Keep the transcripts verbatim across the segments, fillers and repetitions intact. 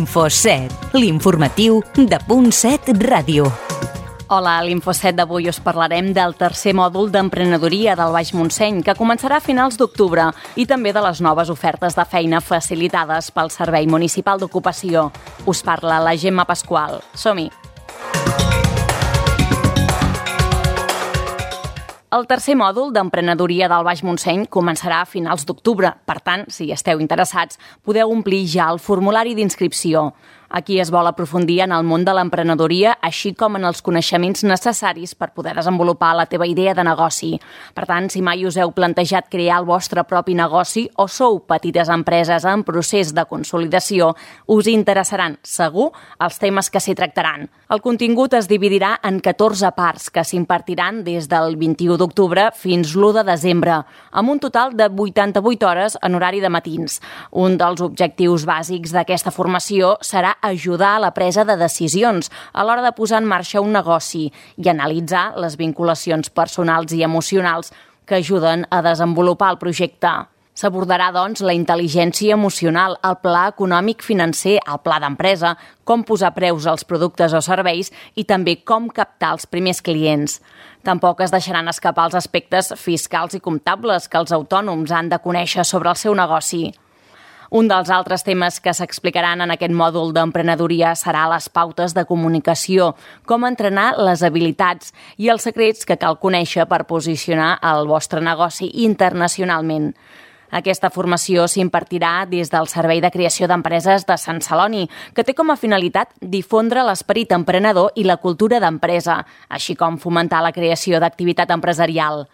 Info set, l'informatiu de Punt set Ràdio. Hola, a l'Info set d'avui us parlarem del tercer mòdul d'emprenedoria del Baix Montseny, que començarà a finals d'octubre, i també de les noves ofertes de feina facilitades pel Servei Municipal d'Ocupació. Us parla la Gemma Pasqual. Som-hi! El tercer mòdul d'emprenedoria del Baix Montseny començarà a finals d'octubre. Per tant, si esteu interessats, podeu omplir ja el formulari d'inscripció. Aquí es vol aprofundir en el món de l'emprenedoria, així com en els coneixements necessaris per poder desenvolupar la teva idea de negoci. Per tant, si mai us heu plantejat crear el vostre propi negoci o sou petites empreses en procés de consolidació, us interessaran, segur, els temes que s'hi tractaran. El contingut es dividirà en catorze parts que s'impartiran des del vint-i-u d'octubre fins l'u de desembre, amb un total de vuitanta-vuit hores en horari de matins. Un dels objectius bàsics d'aquesta formació serà ajudar a la presa de decisions a l'hora de posar en marxa un negoci i analitzar les vinculacions personals i emocionals que ajuden a desenvolupar el projecte. S'abordarà, doncs, la intel·ligència emocional, el pla econòmic financer, el pla d'empresa, com posar preus als productes o serveis i també com captar els primers clients. Tampoc es deixaran escapar els aspectes fiscals i comptables que els autònoms han de conèixer sobre el seu negoci. Un dels altres temes que s'explicaran en aquest mòdul d'emprenedoria serà les pautes de comunicació, com entrenar les habilitats i els secrets que cal conèixer per posicionar el vostre negoci internacionalment. Aquesta formació s'impartirà des del Servei de Creació d'Empreses de Sant Celoni, que té com a finalitat difondre l'esperit emprenedor i la cultura d'empresa, així com fomentar la creació d'activitat empresarial.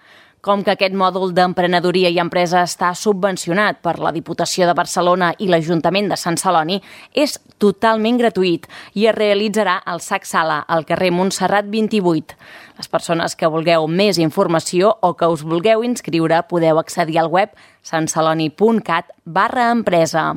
Com que aquest mòdul d'emprenedoria i empresa està subvencionat per la Diputació de Barcelona i l'Ajuntament de Sant Celoni, és totalment gratuït i es realitzarà al S A C Sala, al carrer Montserrat vint-i-vuit. Les persones que vulgueu més informació o que us vulgueu inscriure podeu accedir al web santceloni.cat barra empresa.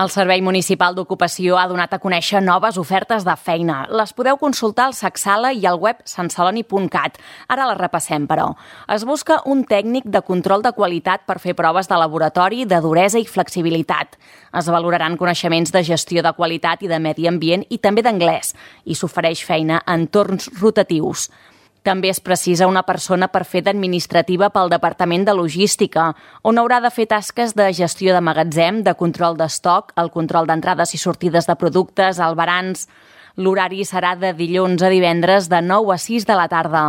El Servei Municipal d'Ocupació ha donat a conèixer noves ofertes de feina. Les podeu consultar al S A C Sala i al web santceloni punt cat. Ara les repassem, però. Es busca un tècnic de control de qualitat per fer proves de laboratori, de duresa i flexibilitat. Es valoraran coneixements de gestió de qualitat i de medi ambient i també d'anglès. I s'ofereix feina en torns rotatius. També es precisa una persona per fer d'administrativa pel Departament de Logística, on haurà de fer tasques de gestió de magatzem, de control d'estoc, el control d'entrades i sortides de productes, albarans. L'horari serà de dilluns a divendres de nou a sis de la tarda.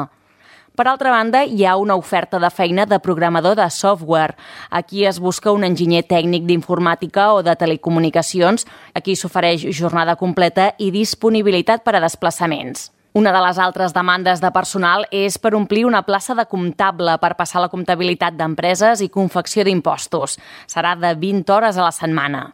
Per altra banda, hi ha una oferta de feina de programador de software. Aquí es busca un enginyer tècnic d'informàtica o de telecomunicacions. Aquí s'ofereix jornada completa i disponibilitat per a desplaçaments. Una de les altres demandes de personal és per omplir una plaça de comptable per passar la comptabilitat d'empreses i confecció d'impostos. Serà de vint hores a la setmana.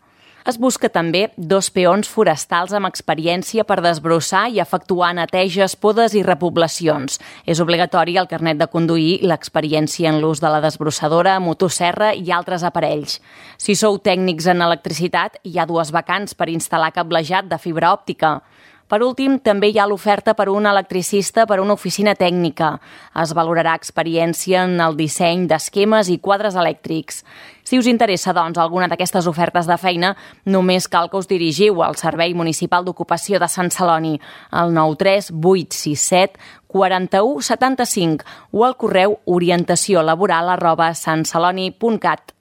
Es busca també dos peons forestals amb experiència per desbrossar i efectuar neteges, podes i repoblacions. És obligatori el carnet de conduir i l'experiència en l'ús de la desbrossadora, motosserra i altres aparells. Si sou tècnics en electricitat, hi ha dues vacants per instal·lar cablejat de fibra òptica. Per últim, també hi ha l'oferta per un electricista per a una oficina tècnica. Es valorarà experiència en el disseny d'esquemes i quadres elèctrics. Si us interessa, doncs, alguna d'aquestes ofertes de feina, només cal que us dirigiu al Servei Municipal d'Ocupació de Sant Celoni, al nou tres vuit sis set quatre u setanta cinc o al correu orientació laboral arroba santceloni punt cat.